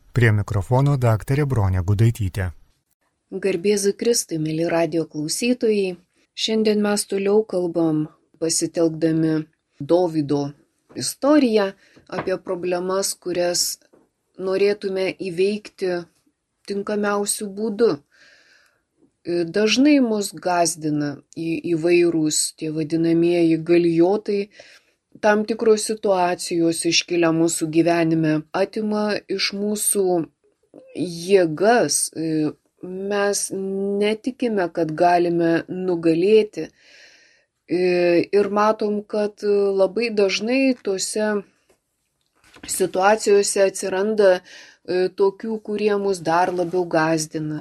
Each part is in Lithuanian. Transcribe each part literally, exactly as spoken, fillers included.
Prie mikrofono daktarė Bronė Gudaitytė. Garbėzui Kristui, mėly radio klausytojai, šiandien mes toliau kalbam, pasitelkdami Dovydo istoriją, apie problemas, kurias norėtume įveikti tinkamiausių būdų. Dažnai mus gazdina į, įvairūs tie vadinamieji galijotai, tam tikros situacijos iškilia mūsų gyvenime, atima iš mūsų jėgas, mes netikime, kad galime nugalėti ir matom, kad labai dažnai tose situacijose atsiranda tokių, kurie mus dar labiau gazdina,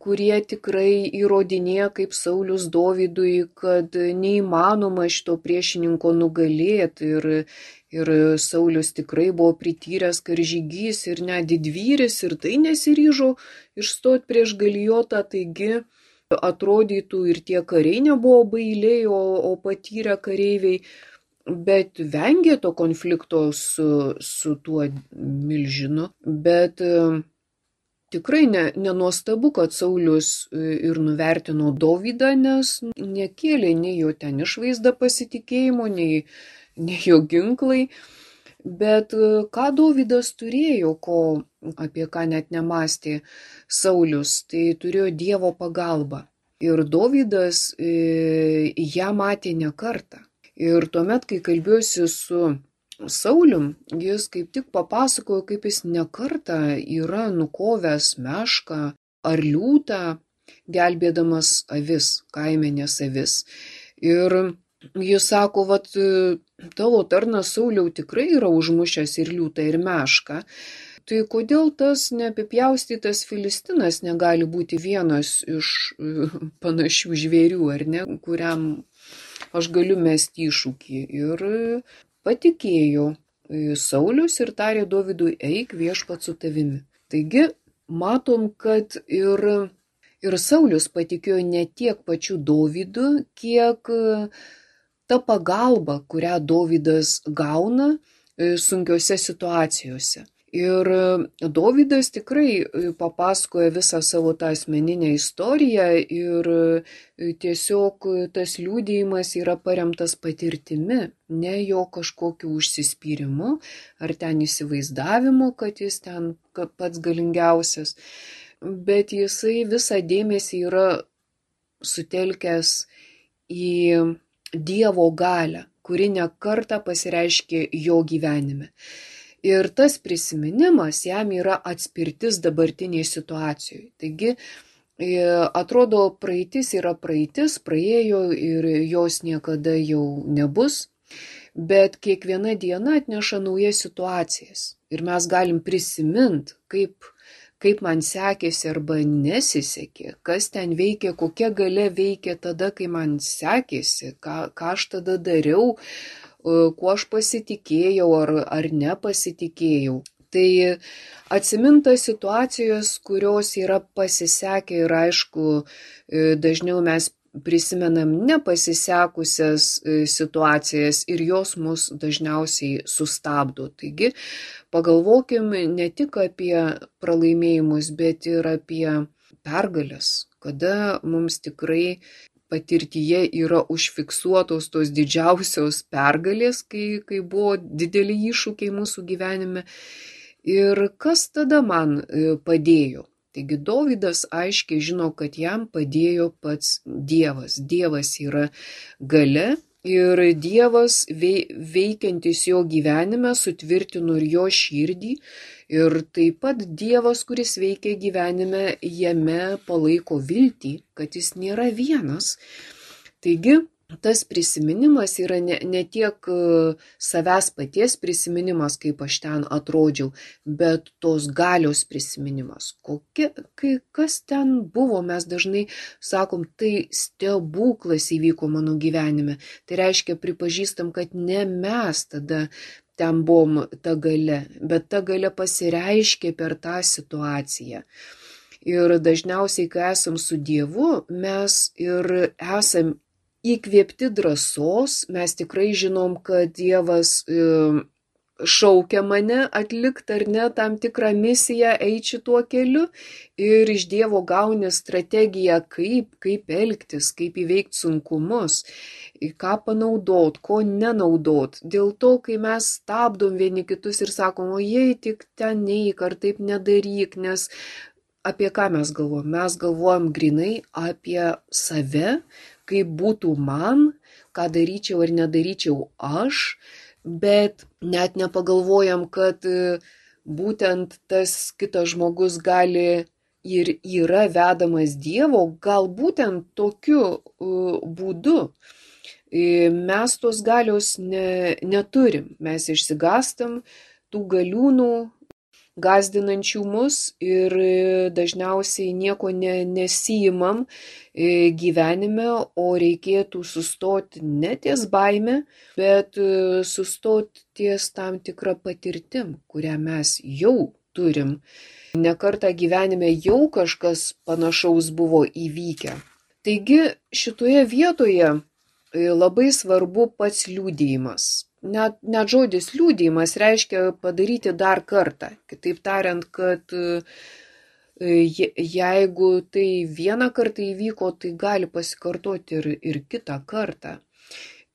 kurie tikrai įrodinėja kaip Saulius Dovydui, kad neįmanoma šito priešininko nugalėti ir, ir Saulius tikrai buvo prityręs karžygys ir net didvyris ir tai nesiryžo išstoti prieš Galijotą, taigi atrodytų ir tie kariai nebuvo bailiai, o, o patyrę kareiviai, bet vengė to konflikto su, su tuo milžinu, bet e, tikrai ne, nenuostabu, kad Saulius ir nuvertino Dovydą, nes nekėlė nei jo ten išvaizda pasitikėjimo, nei, nei jo ginklai, bet ką Dovydas turėjo, ko, apie ką net nemastė Saulius, tai turėjo Dievo pagalbą ir Dovydas e, ją matė ne kartą. Ir tuomet, kai kalbėjusi su Saulium, jis kaip tik papasakojo, kaip jis nekartą yra nukovęs mešką ar liūtą, gelbėdamas avis, kaimenės avis. Ir jis sako, vat, tavo tarnas Sauliau tikrai yra užmušęs ir liūtą, ir mešką. Tai kodėl tas neapipjaustytas Filistinas negali būti vienas iš panašių žvėrių, ar ne, kuriam aš galiu mesti iššūkį. Ir patikėjo Saulius ir tarė Dovydui, eik, viešpats su tavimi. Taigi matom, kad ir, ir Saulius patikėjo ne tiek pačiu Dovydu, kiek ta pagalba, kurią Dovydas gauna sunkiose situacijose. Ir Dovydas tikrai papasakoja visą savo tą asmeninę istoriją ir tiesiog tas liudijimas yra paremtas patirtimi, ne jo kažkokiu užsispyrimu ar ten įsivaizdavimu, kad jis ten pats galingiausias, bet jisai visą dėmesį yra sutelkęs į Dievo galią, kuri ne kartą pasireiškė jo gyvenime. Ir tas prisiminimas jam yra atspirtis dabartiniai situacijai. Taigi, atrodo, praeitis yra praeitis, praėjo ir jos niekada jau nebus, bet kiekviena diena atneša naujas situacijas. Ir mes galim prisiminti, kaip, kaip man sekėsi arba nesisekė, kas ten veikė, kokia galia veikė tada, kai man sekėsi, ką, ką aš tada dariau, kuo aš pasitikėjau ar, ar nepasitikėjau. Tai atsiminta situacijos, kurios yra pasisekę ir aišku, dažniau mes prisimenam nepasisekusias situacijas ir jos mus dažniausiai sustabdo. Taigi pagalvokim ne tik apie pralaimėjimus, bet ir apie pergales, kada mums tikrai patirtyje yra užfiksuotos tos didžiausios pergalės, kai, kai buvo dideli iššūkiai mūsų gyvenime. Ir kas tada man padėjo? Taigi Dovydas aiškiai žino, kad jam padėjo pats Dievas. Dievas yra galia ir Dievas veikiantis jo gyvenime sutvirtino ir jo širdį. Ir taip pat Dievas, kuris veikia gyvenime, jame palaiko viltį, kad jis nėra vienas. Taigi, tas prisiminimas yra ne, ne tiek savęs paties prisiminimas, kaip aš ten atrodžiau, bet tos galios prisiminimas. Kokia, kai, kas ten buvo, mes dažnai sakom, tai stebuklas įvyko mano gyvenime. Tai reiškia, pripažįstam, kad ne mes tada ten buvom ta galia, bet ta galia pasireiškia per tą situaciją. Ir dažniausiai, kai esam su Dievu, mes ir esam įkvėpti drąsos, mes tikrai žinom, kad Dievas šaukia mane atlikti ar ne tam tikrą misiją, eiti šituo keliu ir iš Dievo gauni strategiją, kaip, kaip elgtis, kaip įveikti sunkumus, ką panaudot, ko nenaudot. Dėl to, kai mes stabdom vieni kitus ir sakom, o jei tik ten neik ar taip nedaryk, nes apie ką mes galvojam? Mes galvojam grinai apie save, kaip būtų man, ką daryčiau ar nedaryčiau aš, bet net nepagalvojam, kad būtent tas kitas žmogus gali ir yra vedamas Dievo, gal būtent tokiu būdu. Mes tos galios ne, neturim, mes išsigastam tų galiūnų, gąsdinančių mus ir dažniausiai nieko ne, nesijimam gyvenime, o reikėtų sustoti ne ties baime, bet sustoti ties tam tikrą patirtim, kurią mes jau turim. Nekartą gyvenime jau kažkas panašaus buvo įvykę. Taigi šitoje vietoje labai svarbu pats liudijimas. Net, net žodis liudijimas reiškia padaryti dar kartą. Kitaip tariant, kad jeigu tai vieną kartą įvyko, tai gali pasikartoti ir, ir kitą kartą.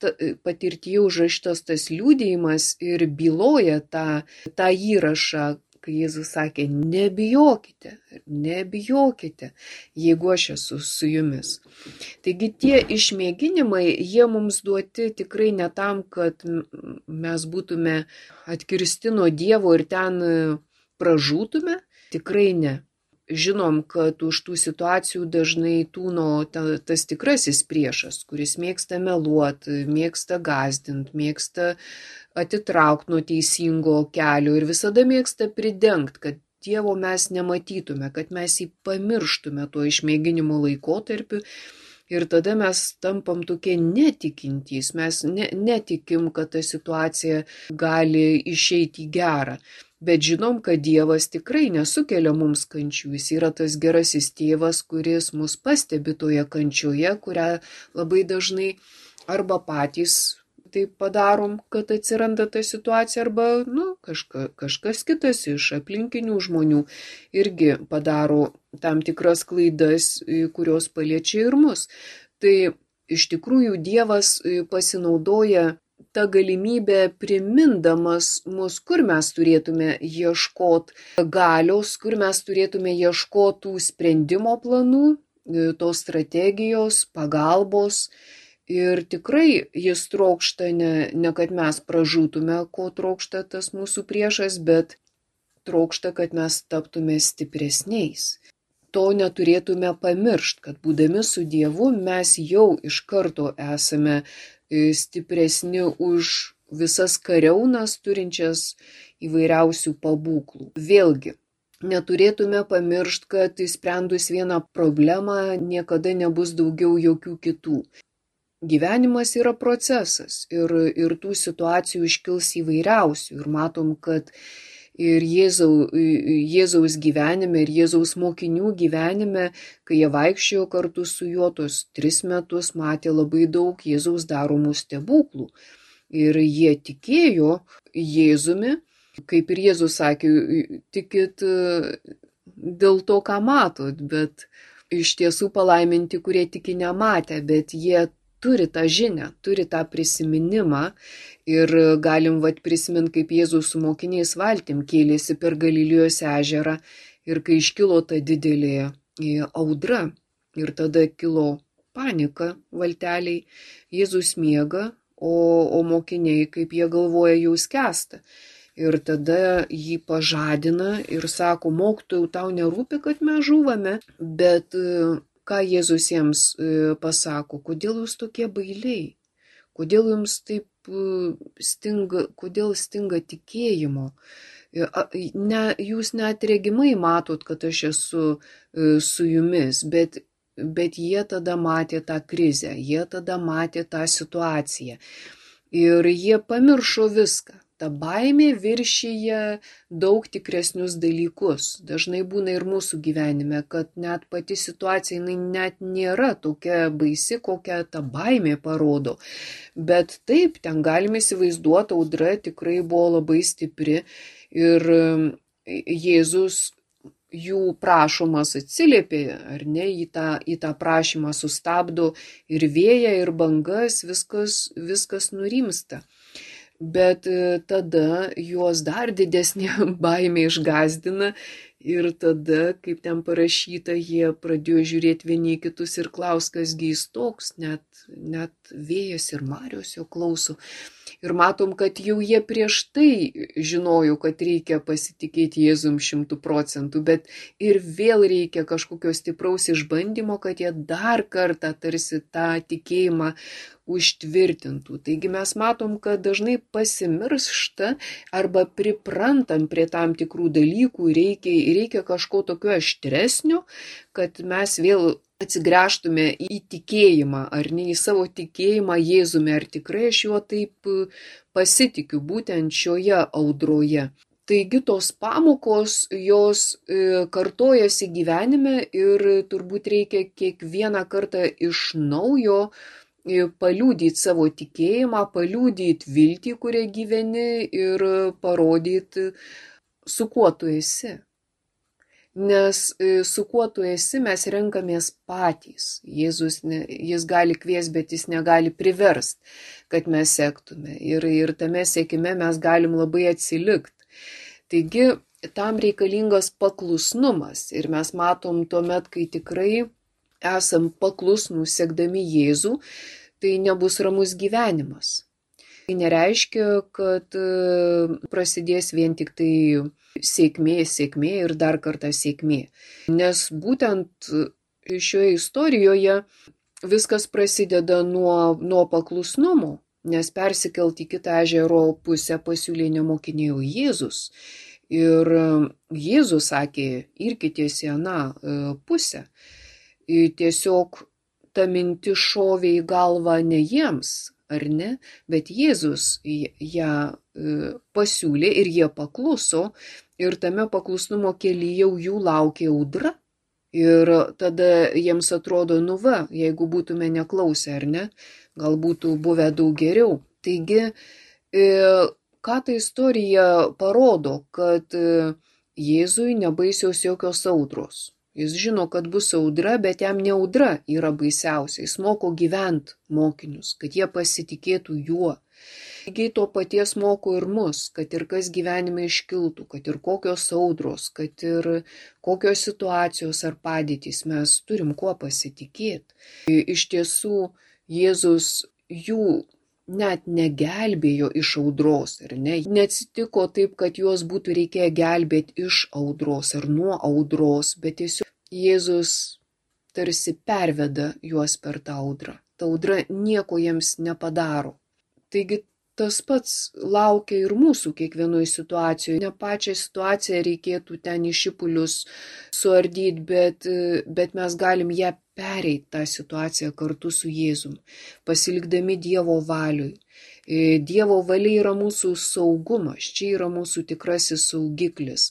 Ta, patirtyje užrašytas tas liudijimas ir byloja tą, tą įrašą, kai Jėzus sakė, nebijokite, nebijokite, jeigu aš esu su jumis. Taigi tie išmėginimai, jie mums duoti tikrai ne tam, kad mes būtume atkirsti nuo Dievo ir ten pražūtume, tikrai ne. Žinom, kad už tų situacijų dažnai tūno ta, tas tikrasis priešas, kuris mėgsta meluoti, mėgsta gąsdinti, mėgsta atitraukti nuo teisingo kelio ir visada mėgsta pridengti, kad Dievo mes nematytume, kad mes jį pamirštume tuo išmėginimo laikotarpiu ir tada mes tampam tokie netikintys, mes ne, netikim, kad ta situacija gali išeiti į gerą. Bet žinom, kad Dievas tikrai nesukelia mums kančių. Jis yra tas gerasis tėvas, kuris mus pastebi toje kančioje, kurią labai dažnai arba patys taip padarom, kad atsiranda ta situacija, arba nu, kažka, kažkas kitas iš aplinkinių žmonių irgi padaro tam tikras klaidas, kurios paliečia ir mus. Tai iš tikrųjų Dievas pasinaudoja ta galimybė primindamas mus, kur mes turėtume ieškoti galios, kur mes turėtume ieškoti sprendimo planų, tos strategijos, pagalbos. Ir tikrai jis trokšta ne, ne kad mes pražūtume, ko trokšta tas mūsų priešas, bet trokšta, kad mes taptume stipresniais. To neturėtume pamiršti, kad būdami su Dievu mes jau iš karto esame stipresni už visas kariaunas turinčias įvairiausių pabūklų. Vėlgi, neturėtume pamiršti, kad išsprendus vieną problemą niekada nebus daugiau jokių kitų. Gyvenimas yra procesas ir, ir tų situacijų iškils įvairiausių ir matom, kad ir Jėzau, Jėzaus gyvenime, ir Jėzaus mokinių gyvenime, kai jie vaikščiojo kartu su juo, tos tris metus matė labai daug Jėzaus daromų stebuklų. Ir jie tikėjo Jėzumi, kaip ir Jėzus sakė, tikit dėl to, ką matot, bet iš tiesų palaiminti, kurie tiki nematę, bet jie turi tą žinią, turi tą prisiminimą ir galim vat prisiminti, kaip Jėzus su mokiniais valtim kėlėsi per Galilėjos ežerą ir kai iškilo ta didelė audra ir tada kilo panika valteliai, Jėzus miega, o, o mokiniai, kaip jie galvoja, jau skęsta. Ir tada jį pažadina ir sako, mokytojau, tau nerūpi, kad mes žūvame, bet ką Jėzus jiems pasako, kodėl jūs tokie bailiai, kodėl jums taip stinga, kodėl stinga tikėjimo. Ne, jūs net regimai matot, kad aš esu su jumis, bet, bet jie tada matė tą krizę, jie tada matė tą situaciją. Ir jie pamiršo viską, ta baimė viršyje daug tikresnius dalykus. Dažnai būna ir mūsų gyvenime, kad net pati situacija jinai net nėra tokia baisi, kokią ta baimė parodo. Bet taip, ten galime įsivaizduoti, audra tikrai buvo labai stipri ir Jėzus jų prašomas atsiliepė, ar ne, į tą, į tą prašymą sustabdo ir vėją, ir bangas, viskas, viskas nurimsta. Bet tada juos dar didesnė baimė išgąsdina ir tada, kaip ten parašyta, jie pradėjo žiūrėti vieni į kitus ir klaus, kasgi jis toks, net, net vėjas ir marios jo klauso. Ir matom, kad jau jie prieš tai žinojo, kad reikia pasitikėti Jėzum šimtų procentų, bet ir vėl reikia kažkokio stipraus išbandymo, kad jie dar kartą tarsi tą tikėjimą užtvirtintų. Taigi mes matom, kad dažnai pasimiršta arba priprantam prie tam tikrų dalykų, reikia, reikia kažko tokio aštresnio, kad mes vėl atsigręžtume į tikėjimą, ar ne į savo tikėjimą Jėzumi, ar tikrai aš juo taip pasitikiu būtent šioje audroje. Taigi tos pamokos, jos kartojasi gyvenime ir turbūt reikia kiekvieną kartą iš naujo paliudyti savo tikėjimą, paliudyti viltį, kurią gyveni ir parodyti, su kuo tu esi. Nes su kuo tu esi, mes renkamės patys. Jėzus, ne, jis gali kvies, bet jis negali priverst, kad mes sektume. Ir, ir tame sekime mes galim labai atsilikti. Taigi, tam reikalingas paklusnumas. Ir mes matom tuomet, kai tikrai esam paklusnūs sekdami Jėzų, tai nebus ramus gyvenimas. Tai nereiškia, kad prasidės vien tik tai sėkmė, sėkmė ir dar kartą sėkmė. Nes būtent šioje istorijoje viskas prasideda nuo, nuo paklusnumo, nes persikelt į kitą ežero pusę pasiūlė nemokinėjo Jėzus. Ir Jėzus sakė, irkitės į aną pusę. Tiesiog ta mintis šovė į galvą ne jiems, ar ne, bet Jėzus ją pasiūlė ir jie pakluso ir tame paklusnumo kelyje jau jų laukė audra. Ir tada jiems atrodo, nu va, jeigu būtume neklausę, ar ne, gal būtų buvę daug geriau. Taigi, ką ta istorija parodo, kad Jėzui nebaisios jokios audros. Jis žino, kad bus audra, bet jam ne audra yra baisiausia. Jis moko gyventi mokinius, kad jie pasitikėtų juo. Lygiai to paties moko ir mus, kad ir kas gyvenime iškiltų, kad ir kokios audros, kad ir kokios situacijos ar padėtys, mes turim kuo pasitikėti. Iš tiesų, Jėzus jų net negelbėjo iš audros, ar ne? Neatsitiko taip, kad juos būtų reikėję gelbėti iš audros ar nuo audros, bet tiesiog Jėzus tarsi perveda juos per tą audrą. Ta audra nieko jiems nepadaro. Taigi tas pats laukia ir mūsų kiekvienoje situacijoje. Ne pačią situaciją reikėtų ten į šipulius suardyti, bet, bet mes galim ją pereiti tą situaciją kartu su Jėzum, pasilikdami Dievo valiui. Dievo valia yra mūsų saugumas, čia yra mūsų tikrasis saugiklis.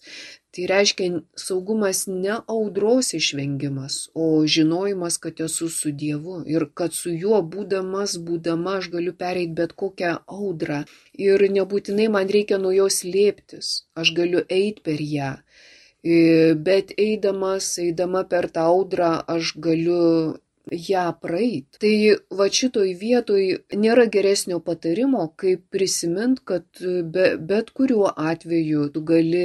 Tai reiškia saugumas ne audros išvengimas, o žinojimas, kad esu su Dievu ir kad su juo būdamas, būdama aš galiu pereiti bet kokią audrą. Ir nebūtinai man reikia nuo jos slėptis, aš galiu eiti per ją. Bet eidamas, eidama per tą audrą, aš galiu ją praeit. Tai va šitoj vietoj nėra geresnio patarimo, kaip prisimint, kad be, bet kuriuo atveju tu gali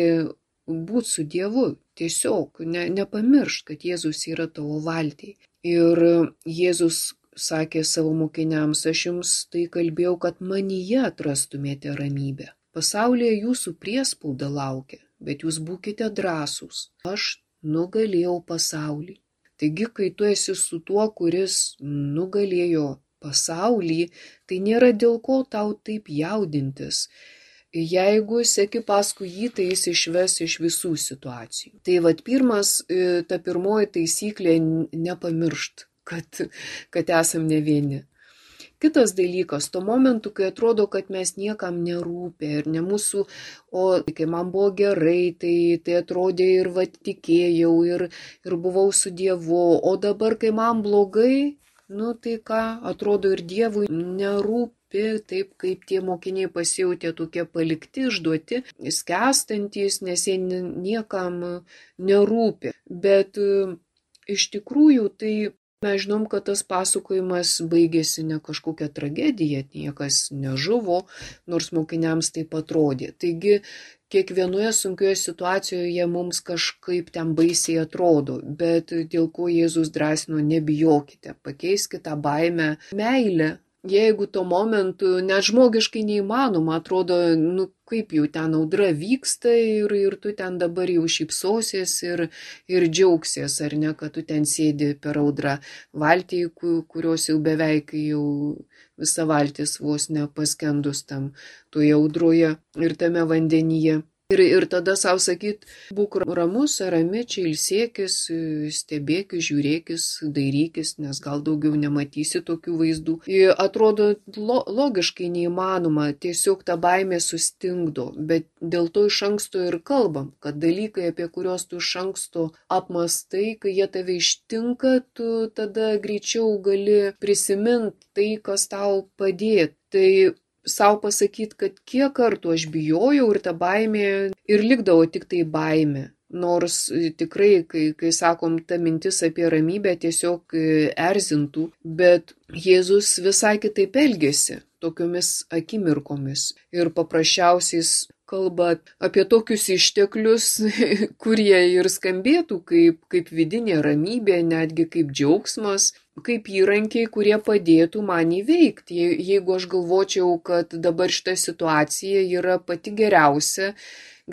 būti su Dievu. Tiesiog ne, nepamiršt, kad Jėzus yra tavo valtyje. Ir Jėzus sakė savo mokiniams, aš jums tai kalbėjau, kad manyje atrastumėte ramybę. Pasaulyje jūsų priespauda laukia, bet jūs būkite drąsūs. Aš nugalėjau pasaulį. Taigi, kai tu esi su tuo, kuris nugalėjo pasaulį, tai nėra dėl ko tau taip jaudintis. Jeigu seki paskui jį, tai jis išves iš visų situacijų. Tai vat pirmas, ta pirmoji taisyklė nepamiršt, kad, kad esam ne vieni. Kitas dalykas, tuo momentu, kai atrodo, kad mes niekam nerūpė ir ne mūsų, o kai man buvo gerai, tai, tai atrodė ir va tikėjau, ir, ir buvau su Dievu, o dabar, kai man blogai, nu tai ką, atrodo ir Dievui nerūpė. Taip kaip tie mokiniai pasijautė tokie palikti, išduoti, skęstantys, nes jie niekam nerūpi. Bet iš tikrųjų tai mes žinom, kad tas pasakojimas baigėsi ne kažkokia tragedija, niekas nežuvo, nors mokiniams taip atrodė. Taigi kiekvienoje sunkioje situacijoje mums kažkaip ten baisiai atrodo, bet dėl ko Jėzus drąsino, nebijokite, pakeiskite tą baimę meilę. Jeigu tuo momentu net žmogiškai neįmanoma, atrodo, nu kaip jau ten audra vyksta ir, ir tu ten dabar jau šypsosies ir, ir džiaugsies, ar ne, kad tu ten sėdi per audrą valtį, kurios jau beveik jau visa valtis vos nepaskendus tam toje audroje ir tame vandenyje. Ir, ir tada savo sakyt, būk ramus, rami, čia ilsėkis, stebėkis, žiūrėkis, dairykis, nes gal daugiau nematysi tokių vaizdų. Ir atrodo lo, logiškai neįmanoma, tiesiog ta baimė sustingdo, bet dėl to iš anksto ir kalbam, kad dalykai, apie kuriuos tu iš anksto apmastai, kai jie tave ištinka, tu tada greičiau gali prisiminti tai, kas tau padėtų. Tai sau pasakyti, kad kiek kartų aš bijojau ir ta baimė ir likdavo tik tai baimė. Nors tikrai, kai, kai sakom, ta mintis apie ramybę tiesiog erzintų, bet Jėzus visai kitaip elgėsi tokiomis akimirkomis ir paprasčiausiais kalba apie tokius išteklius, kurie ir skambėtų kaip, kaip vidinė ramybė, netgi kaip džiaugsmas, kaip įrankiai, kurie padėtų man įveikti. Jeigu aš galvočiau, kad dabar šita situacija yra pati geriausia,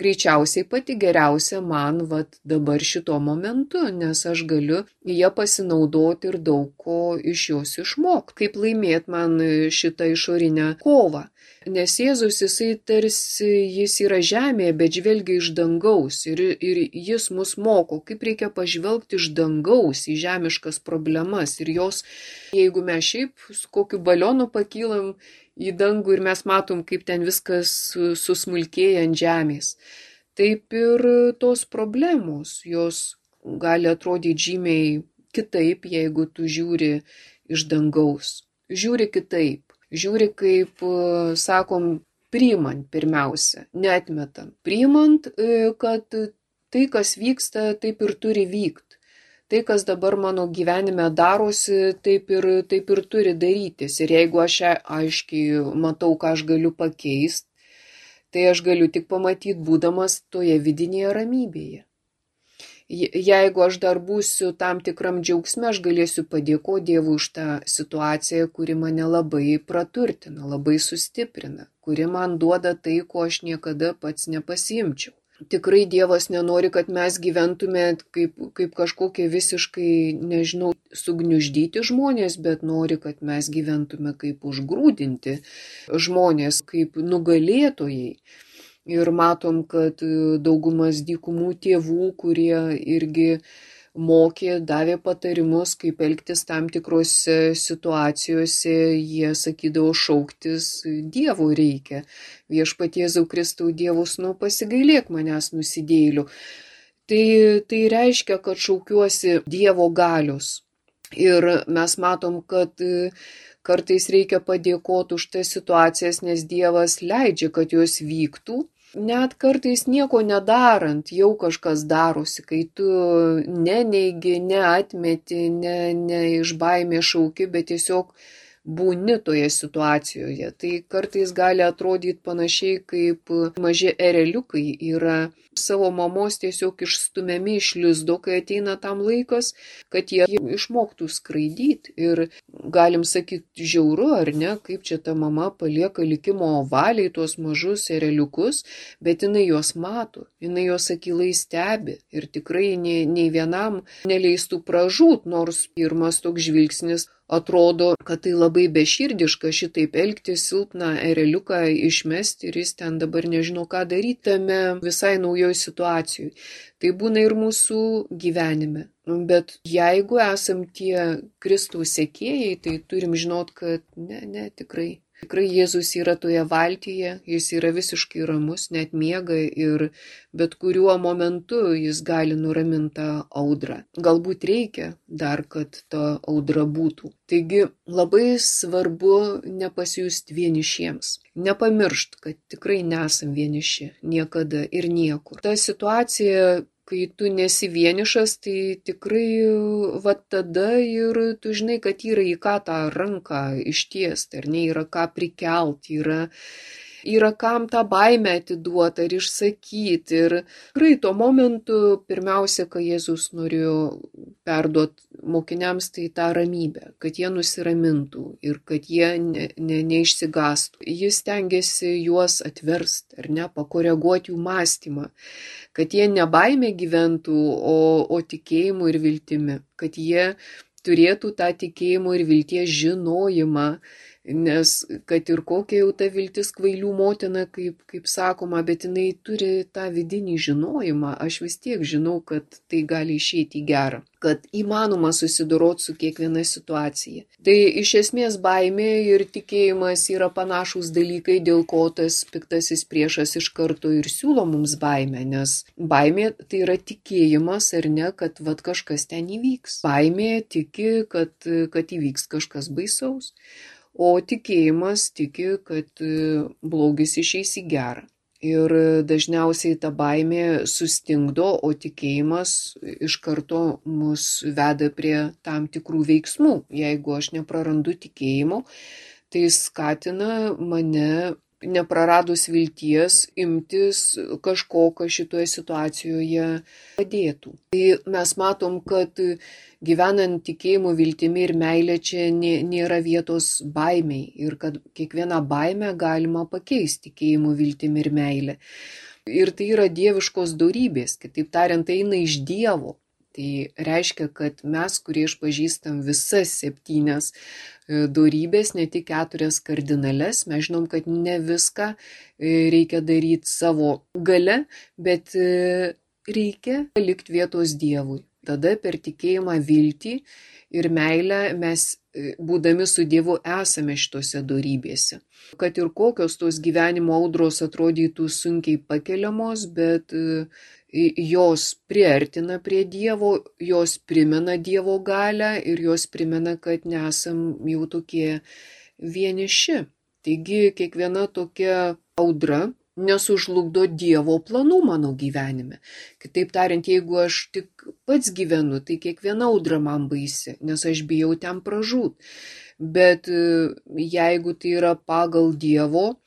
greičiausiai pati geriausia man vat, dabar šito momentu, nes aš galiu ją pasinaudoti ir daug ko iš jos išmokti, kaip laimėti man šitą išorinę kovą. Nes Jėzus, jisai tarsi, jis yra žemėje, bet žvelgia iš dangaus ir, ir jis mus moko, kaip reikia pažvelgti iš dangaus į žemiškas problemas ir jos, jeigu mes šiaip su kokiu balionu pakylam į dangų ir mes matom, kaip ten viskas susmulkėja ant žemės, taip ir tos problemos, jos gali atrodyti žymiai kitaip, jeigu tu žiūri iš dangaus, žiūri kitaip. Žiūri, kaip, sakom, priimant pirmiausia, neatmetant. Priimant, kad tai, kas vyksta, taip ir turi vykti. Tai, kas dabar mano gyvenime darosi, taip ir, taip ir turi darytis. Ir jeigu aš aiškiai matau, ką aš galiu pakeisti, tai aš galiu tik pamatyti, būdamas toje vidinėje ramybėje. Jeigu aš dar būsiu tam tikram džiaugsme, aš galėsiu padėkoti Dievui už tą situaciją, kuri mane labai praturtina, labai sustiprina, kuri man duoda tai, ko aš niekada pats nepasiimčiau. Tikrai Dievas nenori, kad mes gyventume kaip, kaip kažkokie visiškai, nežinau, sugniuždyti žmonės, bet nori, kad mes gyventume kaip užgrūdinti žmonės, kaip nugalėtojai. Ir matom, kad daugumas dykumų tėvų, kurie irgi mokė, davė patarimus, kaip elgtis tam tikrose situacijose, jie sakydavo šauktis Dievo reikia. Viešpatie Jėzau Kristau, Dievus, nu pasigailėk manęs nusidėjėlių. Tai, tai reiškia, kad šaukiuosi Dievo galios. Ir mes matom, kad kartais reikia padėkoti už tas situacijas, nes Dievas leidžia, kad jos vyktų. Net kartais nieko nedarant, jau kažkas darosi, kai tu neneigi, neatmeti, ne, ne iš baimės šauki, bet tiesiog būni toje situacijoje. Tai kartais gali atrodyti panašiai, kaip maži ereliukai yra savo mamos tiesiog išstumiami iš lizdo, kai ateina tam laikas, kad jie išmoktų skraidyti. Ir galim sakyti žiauru, ar ne, kaip čia ta mama palieka likimo valiai tuos mažus ereliukus, bet jinai juos mato, jinai juos akylai stebi ir tikrai nei, nei vienam neleistų pražūt, nors pirmas toks žvilgsnis atrodo, kad tai labai beširdiška šitaip elgtis, silpną ereliuką išmesti ir jis ten dabar nežino, ką daryti tame visai naujoj situacijai. Tai būna ir mūsų gyvenime. Bet jeigu esam tie Kristaus sekėjai, tai turim žinot, kad ne, ne, tikrai. Tikrai Jėzus yra toje valtyje, jis yra visiškai ramus, net miega ir bet kuriuo momentu jis gali nuraminti tą audrą. Galbūt reikia dar, kad ta audra būtų. Taigi labai svarbu nepasijusti vienišiems. Nepamiršt, kad tikrai nesam vieniši niekada ir niekur. Ta situacija, kai tu nesi vienišas, tai tikrai va tada ir tu žinai, kad yra į ką tą ranką ištiesti, ar ne, yra ką prikelti, yra, yra kam tą baimę atiduoti ar išsakyti. Ir tikrai tuo momentu pirmiausia, kai Jėzus norėjo perduoti mokiniams, tai tą ramybę, kad jie nusiramintų ir kad jie ne, ne, neišsigastų. Jis stengiasi juos atversti, ar ne, pakoreguoti jų mąstymą, kad jie ne baimė gyventų, o, o tikėjimu ir viltimi, kad jie turėtų tą tikėjimo ir vilties žinojimą, nes kad ir kokia jau ta viltis kvailių motina, kaip, kaip sakoma, bet jinai turi tą vidinį žinojimą, aš vis tiek žinau, kad tai gali išeiti į gerą, kad įmanoma susidoroti su kiekviena situacija. Tai iš esmės baimė ir tikėjimas yra panašūs dalykai, dėl ko tas piktasis priešas iš karto ir siūlo mums baimę, nes baimė tai yra tikėjimas, ar ne, kad vat kažkas ten įvyks. Baimė tiki, kad, kad įvyks kažkas baisaus. O tikėjimas tiki, kad blogis išeis į gerą. Ir dažniausiai ta baimė sustingdo, o tikėjimas iš karto mus veda prie tam tikrų veiksmų. Jeigu aš neprarandu tikėjimo, tai skatina mane, nepraradus vilties, imtis kažko, kas šitoje situacijoje padėtų. Tai mes matom, kad gyvenant tikėjimu, viltimi ir meilė čia nėra vietos baimiai ir kad kiekvieną baimę galima pakeisti tikėjimu, viltimi ir meilė. Ir tai yra dieviškos dorybės, kitaip tariant, tai eina iš Dievo. Tai reiškia, kad mes, kurie išpažįstam visas septynias dorybės, ne tik keturias kardinales, mes žinom, kad ne viską reikia daryti savo gale, bet reikia palikti vietos Dievui. Tada per tikėjimą, viltį ir meilę mes, būdami su Dievu, esame šitose dorybėse. Kad ir kokios tos gyvenimo audros atrodytų sunkiai pakeliamos, bet jos priartina prie Dievo, jos primena Dievo galią ir jos primena, kad nesam jau tokie vieniši. Taigi kiekviena tokia audra nesužlugdo Dievo planų mano gyvenime. Kitaip tariant, jeigu aš tik pats gyvenu, tai kiekviena audra man baisi, nes aš bijau ten pražūt. Bet jeigu tai yra pagal Dievo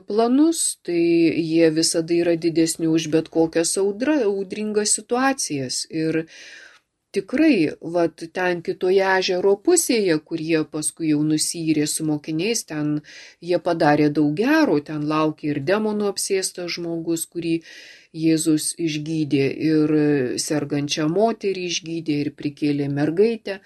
planus, tai jie visada yra didesni už bet kokias audra, audringas situacijas. Ir tikrai, vat, ten kitoje ežero pusėje, kur jie paskui jau nusyrė su mokiniais, ten jie padarė daug gero, ten laukė ir demonų apsėstas žmogus, kurį Jėzus išgydė, ir sergančią moterį išgydė, ir prikėlė mergaitę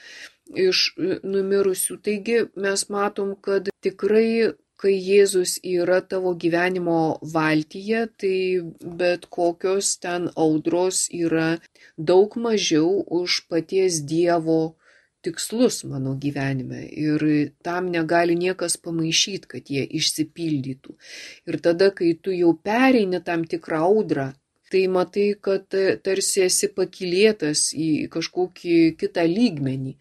iš numirusių. Taigi mes matom, kad tikrai, kai Jėzus yra tavo gyvenimo valtyje, tai bet kokios ten audros yra daug mažiau už paties Dievo tikslus mano gyvenime. Ir tam negali niekas pamaišyti, kad jie išsipildytų. Ir tada, kai tu jau pereini tam tikrą audrą, tai matai, kad tarsi esi pakylėtas į kažkokį kitą lygmenį.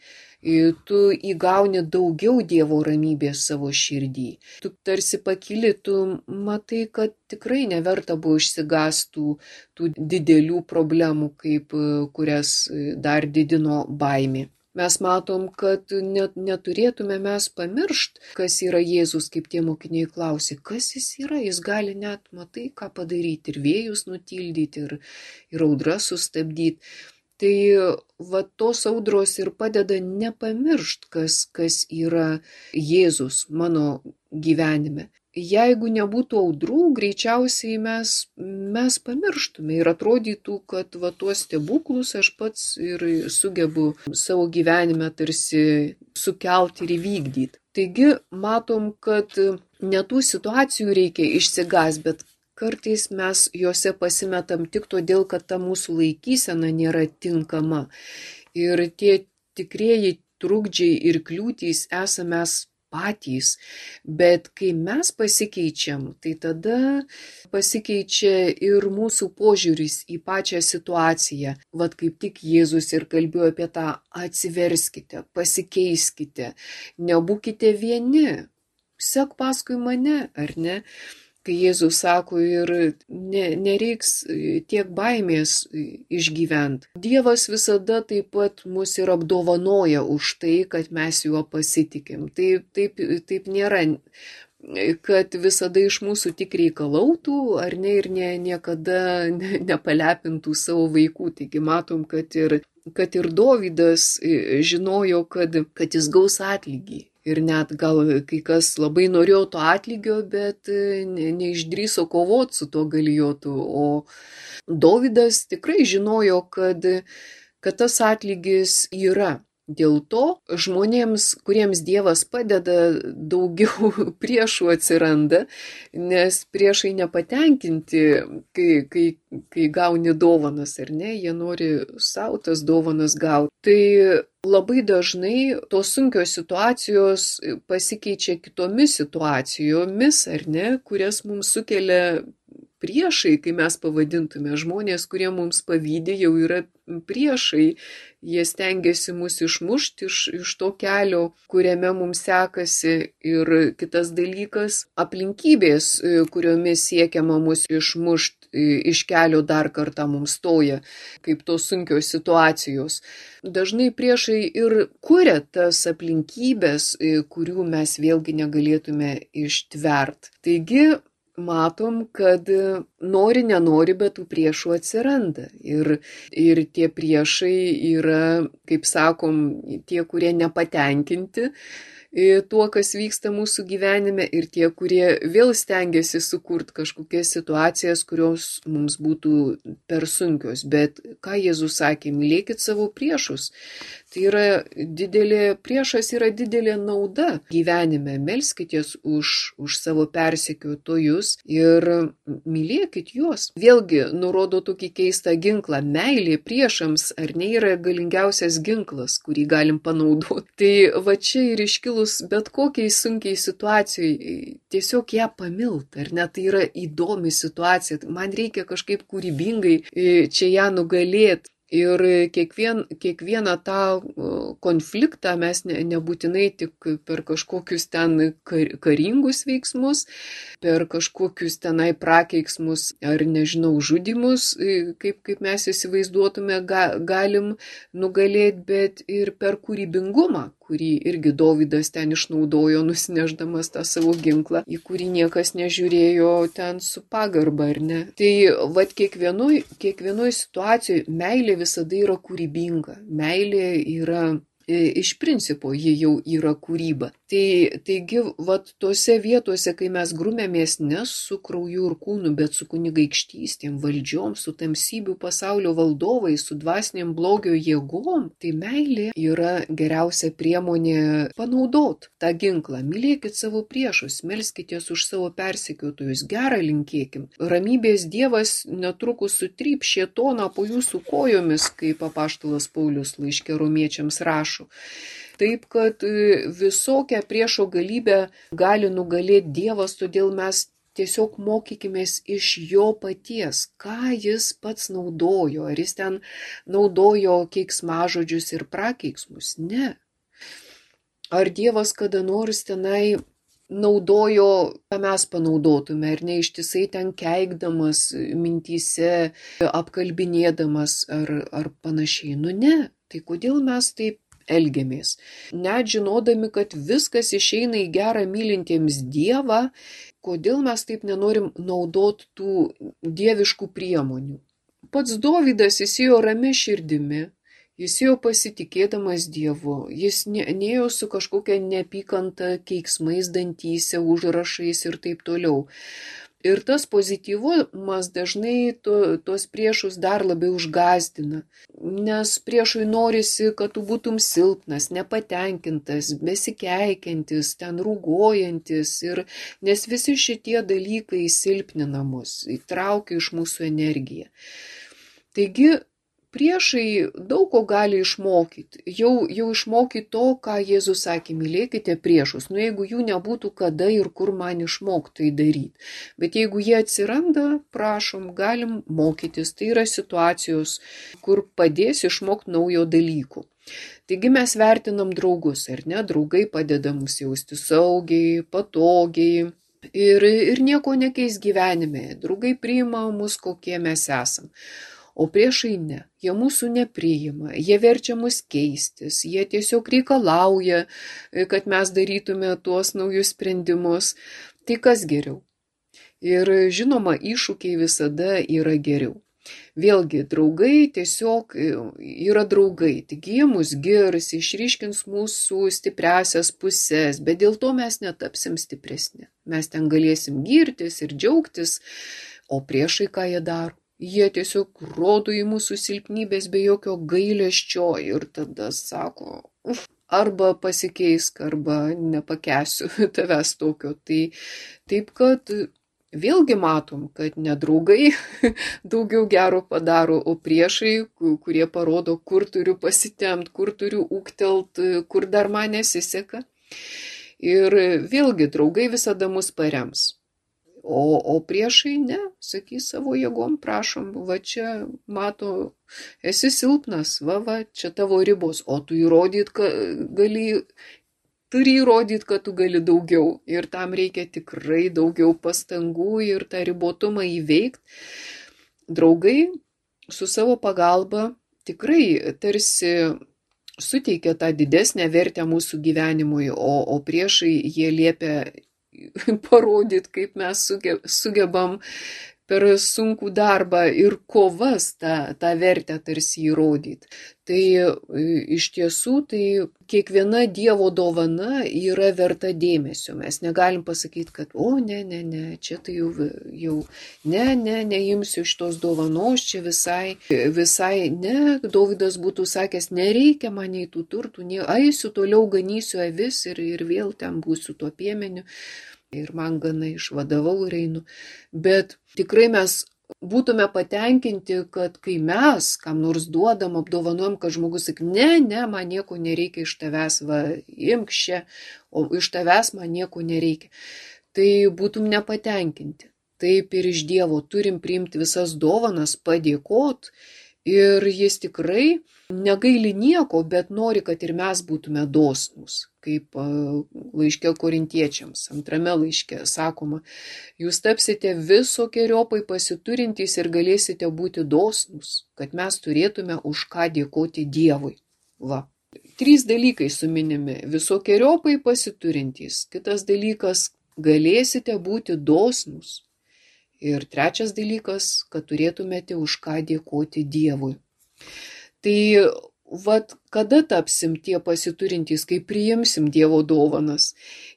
Tu įgauni daugiau Dievo ramybės savo širdį. Tu tarsi pakyli, tu matai, kad tikrai neverta buvo išsigastų tų didelių problemų, kaip kurias dar didino baimė. Mes matom, kad net, neturėtume mes pamiršt, kas yra Jėzus, kaip tie mokiniai klausė, kas jis yra, jis gali net, matai, ką padaryti, ir vėjus nutildyti, ir, ir audras sustabdyti. Tai va tos audros ir padeda nepamiršt, kas, kas yra Jėzus mano gyvenime. jeigu nebūtų audrų, greičiausiai mes, mes pamirštume ir atrodytų, kad va tuos stebuklus aš pats ir sugebu savo gyvenime tarsi sukelti ir įvykdyti. Taigi matom, kad ne tų situacijų reikia išsigąs, bet kartais mes juose pasimetam tik todėl, kad ta mūsų laikysena nėra tinkama. Ir tie tikrieji trukdžiai ir kliūtys esame mes patys, bet kai mes pasikeičiam, tai tada pasikeičia ir mūsų požiūris į pačią situaciją. Vat kaip tik Jėzus ir kalbėjo apie tą atsiverskite, pasikeiskite, nebūkite vieni, sek paskui mane, ar ne? Kai Jėzus sako ir ne, nereiks tiek baimės išgyventi. Dievas visada taip pat mus ir apdovanoja už tai, kad mes juo pasitikim. Taip, taip, taip nėra, kad visada iš mūsų tik reikalautų, ar ne, ir ne, niekada ne, nepalepintų savo vaikų. Taigi matom, kad ir, kad ir Dovydas žinojo, kad, kad jis gaus atlygį. Ir net gal kai kas labai norėjo to atlygio, bet ne, neišdrįso kovoti su to Galijotu. O Dovydas tikrai žinojo, kad, kad tas atlygis yra. Dėl to žmonėms, kuriems Dievas padeda, daugiau priešų atsiranda, nes priešai nepatenkinti, kai, kai, kai gauni dovanas, ar ne, jie nori savo tas dovanas gauti. Tai labai dažnai tos sunkios situacijos pasikeičia kitomis situacijomis, ar ne, kurias mums sukelia priešai, kai mes pavadintume žmonės, kurie mums pavydi, jau yra priešai. Jie stengiasi mus išmušti iš, iš to kelio, kuriame mums sekasi. Ir kitas dalykas - aplinkybės, kuriomis siekiama mus išmušti iš kelio, dar kartą mums stoja, kaip tos sunkios situacijos. Dažnai priešai ir kuria tas aplinkybės, kurių mes vėlgi negalėtume ištvert. Taigi, matom, kad nori, nenori, bet tų priešų atsiranda. Ir, ir tie priešai yra, kaip sakom, tie, kurie nepatenkinti tuo, kas vyksta mūsų gyvenime, ir tie, kurie vėl stengiasi sukurti kažkokias situacijas, kurios mums būtų per sunkios. Bet ką Jėzus sakė, mylėkit savo priešus. Tai yra didelė, priešas yra didelė nauda gyvenime. Melskitės už, už savo persekiotojus ir mylėkit juos. Vėlgi nurodo tokį keistą ginklą. Meilė priešams ar ne yra galingiausias ginklas, kurį galim panaudoti. Tai va čia ir iškilus bet kokiai sunkiai situacijai, tiesiog ją pamilt, ar ne, tai yra įdomi situacija. Man reikia kažkaip kūrybingai čia ją nugalėti. Ir kiekvien, kiekvieną tą konfliktą mes ne, nebūtinai tik per kažkokius ten kar, karingus veiksmus, per kažkokius tenai prakeiksmus ar nežinau žudimus, kaip, kaip mes įsivaizduotume, ga, galim nugalėti, bet ir per kūrybingumą, kurį irgi Dovydas ten išnaudojo, nusineždamas tą savo ginklą, į kurį niekas nežiūrėjo ten su pagarba, ar ne. Tai vat kiekvienoj, kiekvienoj situacijoje meilė visada yra kūrybinga. Meilė yra, iš principo, ji jau yra kūryba. Tai, taigi, vat tose vietose, kai mes grumėmės ne su krauju ir kūnu, bet su kunigaikštystėm, valdžiom, su tamsybių pasaulio valdovais, su dvasiniam blogio jėgom, tai meilė yra geriausia priemonė panaudot tą ginklą. Mylėkit savo priešus, melskitės už savo persekiotojus, gerą linkėkim. Ramybės Dievas netrukus sutryp šėtoną po jūsų kojomis, kaip apaštalas Paulius laiške romiečiams rašo. Taip, kad visokią priešo galybę gali nugalėti Dievas, todėl mes tiesiog mokykimės iš jo paties, ką jis pats naudojo. Ar jis ten naudojo keiksmažodžius ir prakeiksmus? Ne. Ar Dievas kada nors tenai naudojo, ką mes panaudotume, ar ne ištisai ten keikdamas mintyse, apkalbinėdamas ar, ar panašiai? Nu ne. Tai kodėl mes taip elgiamės? Net žinodami, kad viskas išeina į gerą mylintiems Dievą, kodėl mes taip nenorim naudoti tų dieviškų priemonių? Pats Dovydas įsijo ramia širdimi, Jis ėjo pasitikėdamas Dievu, jis ne- nėjo su kažkokia neapykanta, keiksmais dantyse, užrašais ir taip toliau. Ir tas pozityvumas dažnai to, tos priešus dar labiau užgazdina, nes priešui norisi, kad tu būtum silpnas, nepatenkintas, besikeikiantis, ten rūgojantis, ir, nes visi šitie dalykai silpnina mus, įtraukia iš mūsų energiją. Taigi, priešai daug ko gali išmokyti, jau, jau išmokyti to, ką Jėzus sakė, mylėkite priešus. Nu, jeigu jų nebūtų, kada ir kur man išmokti tai daryti. Bet jeigu jie atsiranda, prašom, galim mokytis. Tai yra situacijos, kur padės išmokti naujo dalykų. Taigi mes vertinam draugus, ar ne? Draugai padeda mums jausti saugiai, patogiai. Ir, ir nieko nekeis gyvenime. Draugai priima mus, kokie mes esam. O priešai ne, jie mūsų nepriima, jie verčia mus keistis, jie tiesiog reikalauja, kad mes darytume tuos naujus sprendimus. Tai kas geriau? Ir žinoma, iššūkiai visada yra geriau. Vėlgi, draugai tiesiog yra draugai, tik jie mus girs, išryškins mūsų stipriasias pusės, bet dėl to mes netapsim stipresni. Mes ten galėsim girtis ir džiaugtis, o priešai ką jie daro? Jie tiesiog rodo į mūsų silpnybės be jokio gailesčio ir tada sako, uf, arba pasikeisk, arba nepakęsiu tavęs tokio. Tai taip, kad vėlgi matom, kad nedraugai daugiau gero padaro, o priešai, kurie parodo, kur turiu pasitempt, kur turiu ūgtelt, kur dar man nesiseka. Ir vėlgi draugai visada mus parems. O, o priešai ne, sakys savo jėgom, prašom, va čia, mato, esi silpnas, va, va, čia tavo ribos, o tu įrodyt, kad gali, turi įrodyti, kad tu gali daugiau. Ir tam reikia tikrai daugiau pastangų ir tą ribotumą įveikti. Draugai su savo pagalba tikrai tarsi suteikia tą didesnę vertę mūsų gyvenimui, o, o priešai jie liepia parodyti, kaip mes sugebam per sunkų darbą ir kovas tą, tą vertę tarsi įrodyti. Tai iš tiesų, tai kiekviena Dievo dovana yra verta dėmesio. Mes negalim pasakyti, kad o ne, ne, ne, čia tai jau, jau ne, ne, neimsiu šitos dovanos, čia visai, visai ne. Dovydas būtų sakęs, nereikia man nei tų turtų, ne, eisiu toliau ganysiu avis ir, ir vėl ten būsiu tuo piemeniu. Ir man gana išvadavau ir einu. Bet tikrai mes būtume patenkinti, kad kai mes kam nors duodam, apdovanojam, kad žmogus sakyk, ne, ne, man nieko nereikia iš tavęs, va, imk čia, o iš tavęs man nieko nereikia. Tai būtum nepatenkinti. Taip ir iš Dievo turim priimti visas dovanas, padėkot. Ir jis tikrai negaili nieko, bet nori, kad ir mes būtume dosnūs, kaip laiške korintiečiams, antrame laiške sakoma, jūs tapsite visokiojopai pasiturintys ir galėsite būti dosnūs, kad mes turėtume už ką dėkoti Dievui. Va. Trys dalykai suminimi, visokiojopai pasiturintys, kitas dalykas, galėsite būti dosnūs. Ir trečias dalykas, kad turėtumėte už ką dėkoti Dievui. Tai vat, kada tapsim tie pasiturintys, kai priimsim Dievo dovanas.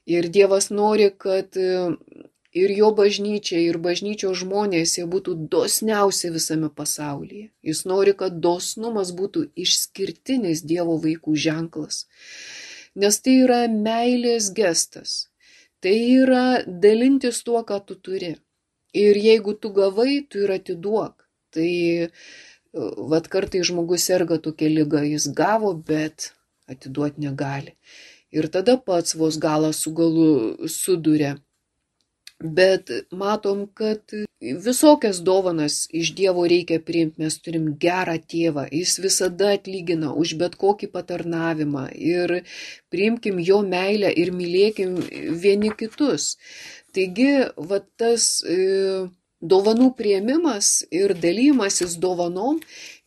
Ir Dievas nori, kad ir jo bažnyčia, ir bažnyčios žmonės jie būtų dosniausi visame pasaulyje. Jis nori, kad dosnumas būtų išskirtinis Dievo vaikų ženklas. Nes tai yra meilės gestas. Tai yra dalintis tuo, ką tu turi. Ir jeigu tu gavai, tu ir atiduok. Tai vat kartai žmogus serga tokia liga, jis gavo, bet atiduot negali. Ir tada pats vos galą su galu suduria. Bet matom, kad visokias dovanas iš Dievo reikia priimti. Mes turim gerą tėvą, jis visada atlygina už bet kokį patarnavimą. Ir priimkim jo meilę ir mylėkim vieni kitus. Taigi, va tas e, dovanų priėmimas ir dalymasis dovanom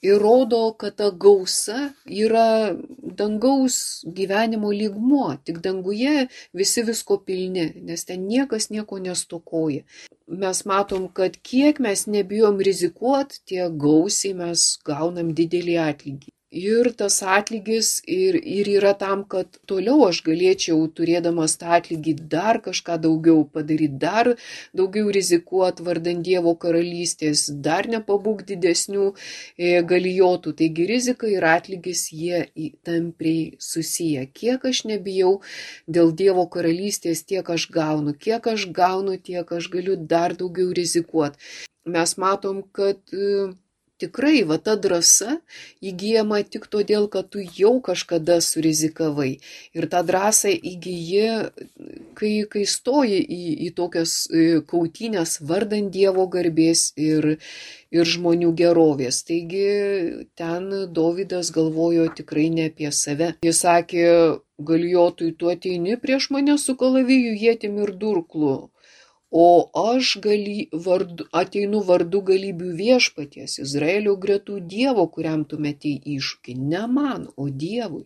įrodo, kad ta gausa yra dangaus gyvenimo lygmuo. Tik danguje visi visko pilni, nes ten niekas nieko nestokoja. Mes matom, kad kiek mes nebijom rizikuot, tiek gausiai mes gaunam didelį atlygį. Ir tas atlygis ir, ir yra tam, kad toliau aš galėčiau, turėdamas tą atlygį, dar kažką daugiau padaryti, dar daugiau rizikuoti vardan Dievo karalystės, dar nepabūk didesnių e, galijotų. Taigi rizika ir atlygis jie tampriai susiję. Kiek aš nebijau dėl Dievo karalystės, tiek aš gaunu. Kiek aš gaunu, tiek aš galiu dar daugiau rizikuoti. Mes matom, kad e, tikrai va ta drąsa įgyjama tik todėl, kad tu jau kažkada surizikavai. Ir tą drąsą įgyji, kai, kai stoji į, į tokias kautynės vardan Dievo garbės ir, ir žmonių gerovės. Taigi ten Dovydas galvojo tikrai ne apie save. Jis sakė, Galijotui, tu ateini prieš mane su kalaviju, ietim ir durklu. O aš gali, vardu, ateinu vardu galybių viešpaties, Izraelio gretų Dievo, kuriam tu metei iššūkį. Ne man, o Dievui.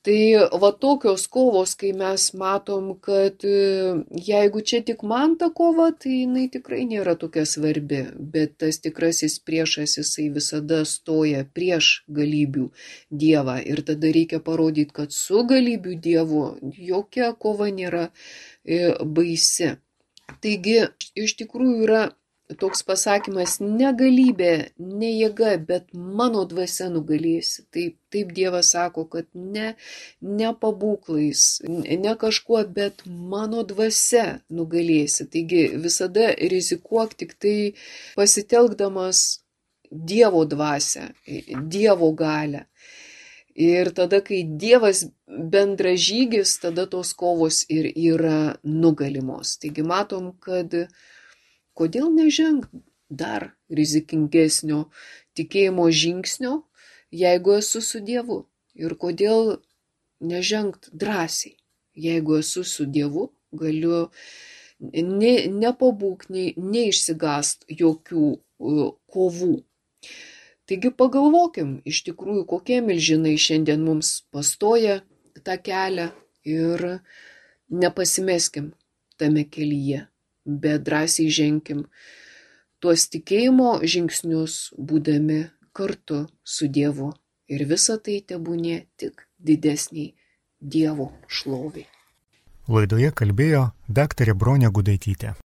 Tai va tokios kovos, kai mes matom, kad jeigu čia tik man ta kova, tai jinai tikrai nėra tokia svarbi. Bet tas tikrasis priešas, jisai visada stoja prieš galybių Dievą. Ir tada reikia parodyti, kad su galybių Dievu jokia kova nėra baisi. Taigi, iš tikrųjų yra toks pasakymas, ne galybė, ne jėga, bet mano dvasia nugalėsi. Taip, taip Dievas sako, kad ne, ne pabūklais, ne kažkuo, bet mano dvasia nugalėsi. Taigi visada rizikuok tik tai pasitelkdamas Dievo dvasią, Dievo galią. Ir tada, kai Dievas bendražygis, tada tos kovos ir yra nugalimos. Taigi matom, kad kodėl nežengt dar rizikingesnio tikėjimo žingsnio, jeigu esu su Dievu. Ir kodėl nežengt drąsiai, jeigu esu su Dievu, galiu ne, nepabūk, ne, neišsigast jokių uh, kovų. Taigi pagalvokim, iš tikrųjų, kokie milžinai šiandien mums pastoja tą kelią ir nepasimeskim tame kelyje, bet drąsiai ženkim tuos tikėjimo žingsnius, būdami kartu su Dievu. Ir visa tai tebūnie tik didesniai Dievo šloviai. Laidoje kalbėjo daktarė Bronė Gudaitytė.